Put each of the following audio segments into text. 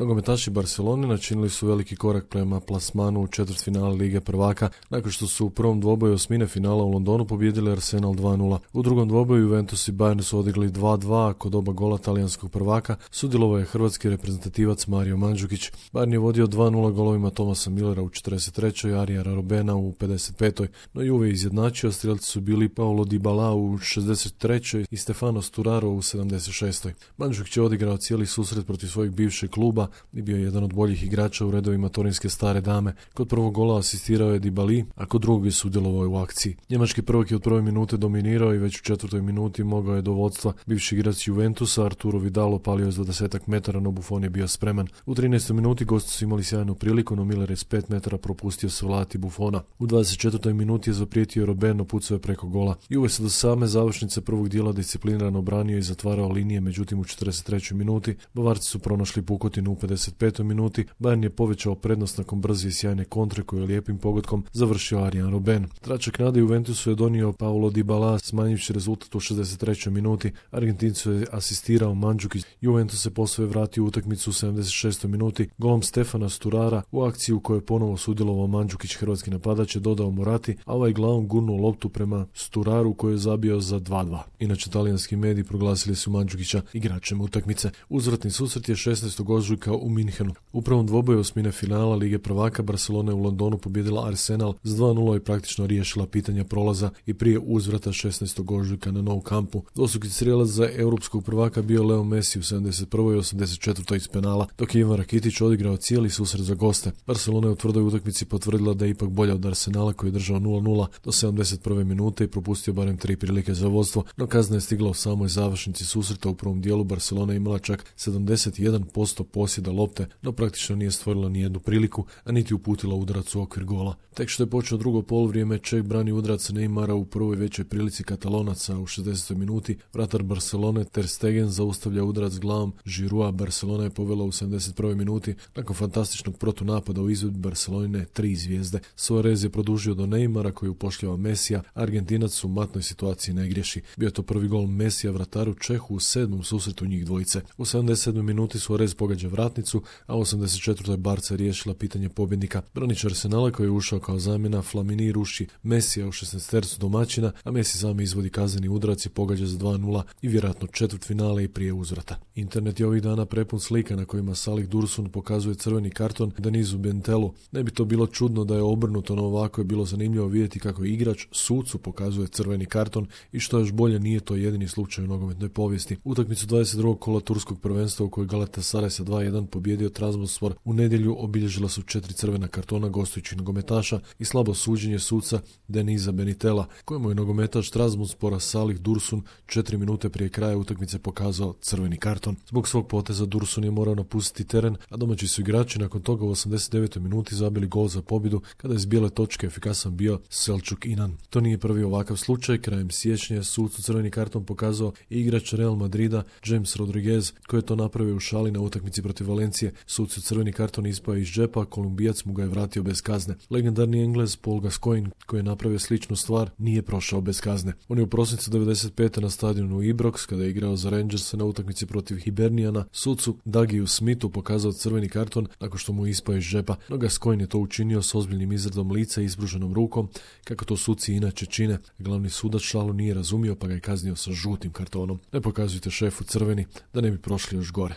Nogometaši Barcelone načinili su veliki korak prema plasmanu u četvrtfinale Lige prvaka nakon što su u prvom dvoboju osmine finala u Londonu pobijedili Arsenal 2:0. U drugom dvoboju Juventus i Bayern su odigli 2:2, a kod oba gola talijanskog prvaka sudjelovao je hrvatski reprezentativac Mario Mandžukić. Bayern je vodio 2:0 golovima Thomasa Millera u 43. Arijana Robena u 55. No Juve izjednačio, strijelci su bili Paulo Dybala u 63. i Stefano Sturaro u 76. Mandžukić je odigrao cijeli susret protiv svojeg bivšeg kluba i bio je jedan od boljih igrača u redovima torinske stare dame. Kod prvog gola asistirao je Dybali, a kod drugog je sudjelovao u akciji. Njemački prvak je od prve minute dominirao i već u četvrtoj minuti mogao je do vodstva. Bivši igrač Juventusa Arturo Vidal opalio je za 10 metara, no Buffon je bio spreman. U 13. minuti gosti su imali sjajnu priliku, no Miller je s 5 metara propustio savladati Buffona. U 24. minuti je zaprijetio Robben, no pucao je preko gola. Juve se do same završnice prvog dijela disciplinirano branio i zatvarao linije, međutim u 43. minuti Bavarci su pronašli pukotinu. U 55. minuti Bayern je povećao prednost nakon brze i sjajne kontre koju je lijepim pogodkom završio Arjen Robben. Tračak nade Juventusu je donio Paulo Dybala, smanjivši rezultat u 63. minuti. Argentincu je asistirao Mandžukić. Juventus se posve vratio u utakmicu u 76. minuti golom Stefana Sturara u akciju u kojoj je ponovo sudjelovao Mandžukić. Hrvatski napadač je dodao Morati, a ovaj glavom gurnuo loptu prema Sturaru koji je zabio za 2:2. Inače, talijanski mediji proglasili su Mandžukića igračem utakmice. Uzvratni susret je 16. ožujka u Minhenu. U prvom dvoboju osmine finala Lige prvaka Barcelona je u Londonu pobijedila Arsenal s 2:0 i praktično riješila pitanja prolaza i prije uzvrata 16. ožujka na Nou Campu. Dvostruki strijelac za europskog prvaka bio Leo Messi u 71. i 84. iz penala, dok je Ivan Rakitić odigrao cijeli susret za goste. Barcelona je u tvrdoj utakmici potvrdila da je ipak bolja od Arsenala koji je držao 0:0 do 71. minute i propustio barem 3 prilike za vodstvo, no kazna je stigla u samoj završnici susreta. U prvom dijelu Barcelona je imala čak 71% posjeda lopte, no praktično nije stvorila ni jednu priliku, a niti uputila udarac u okvir gola. Tek što je počeo drugo poluvrijeme, Čeh brani udarac Neymara u prvoj većoj prilici Katalonaca u 60. minuti. Vratar Barcelone Ter Stegen zaustavlja udarac glavom Giroua. Barcelona je povela u 71. minuti nakon fantastičnog protunapada u izvedbi Barcelone 3 zvijezde. Suarez je produžio do Neymara koji upošljava Mesija. Argentinac u matnoj situaciji ne griješi. Bio je to prvi gol Mesija vrataru Čehu u 7. susretu njih dvojice. U 77. minuti Suarez pogađa vratnicu, a u 84. Barca riješila pitanje pobjednika. Branič Arsenala koji je ušao kao zamjena Flamini ruši Mesija u 16. domaćina, a Messi sami izvodi kazneni udarac i pogađa za 2:0 i vjerojatno četvrtfinale i prije uzvrata. Internet je ovih dana prepun slika na kojima Salih Dursun pokazuje crveni karton Denisu Bentelu. Ne bi to bilo čudno da je obrnuto, no ovako je bilo zanimljivo vidjeti kako igrač sucu pokazuje crveni karton i što još bolje, nije to jedini slučaj u nogometnoj povijesti. Utakmicu 22. kola turskog prvenstva u kojoj Galatasaray sa 2:1 pobijedio Trabzonspor u nedjelju obilježila su 4 crvena kartona gostujućih nogometaša i slabo suđenje suca Denisa Benitela, kojemu je nogometaš Trabzonspora Salih Dursun 4 minute prije kraja utakmice pokazao crveni karton. Zbog svog poteza Dursun je morao napustiti teren, a domaći su igrači nakon toga u 89. minuti zabili gol za pobjedu kada je s bijele točke efikasan bio Selçuk Inan. To nije prvi ovakav slučaj. Krajem siječnja je sucu crveni karton pokazao i igrač Real Madrida James Rodriguez koji je to napravio u šali na utakmici protiv Valencije. Sucu crveni karton ispao iz džepa, Kolumbijac mu ga je vratio bez kazne. Legendarni Englez Paul Gascoigne koji je napravio sličnu stvar nije prošao bez kazne. On je u prosincu 95. na stadionu Ibrox kada je igrao za Rangersa na utakmici protiv Hibernijana sucu Dougieu Smithu pokazao crveni karton nakon što mu je ispao iz džepa, no Gascoigne je to učinio s ozbiljnim izradom lica i ispruženom rukom, kako to suci inače čine. Glavni sudac šalu nije razumio pa ga je kaznio sa žutim kartonom. Ne pokazujte šefu crveni da ne bi prošli još gore.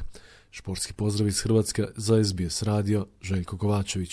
Športski pozdrav iz Hrvatske za SBS radio, Željko Kovačević.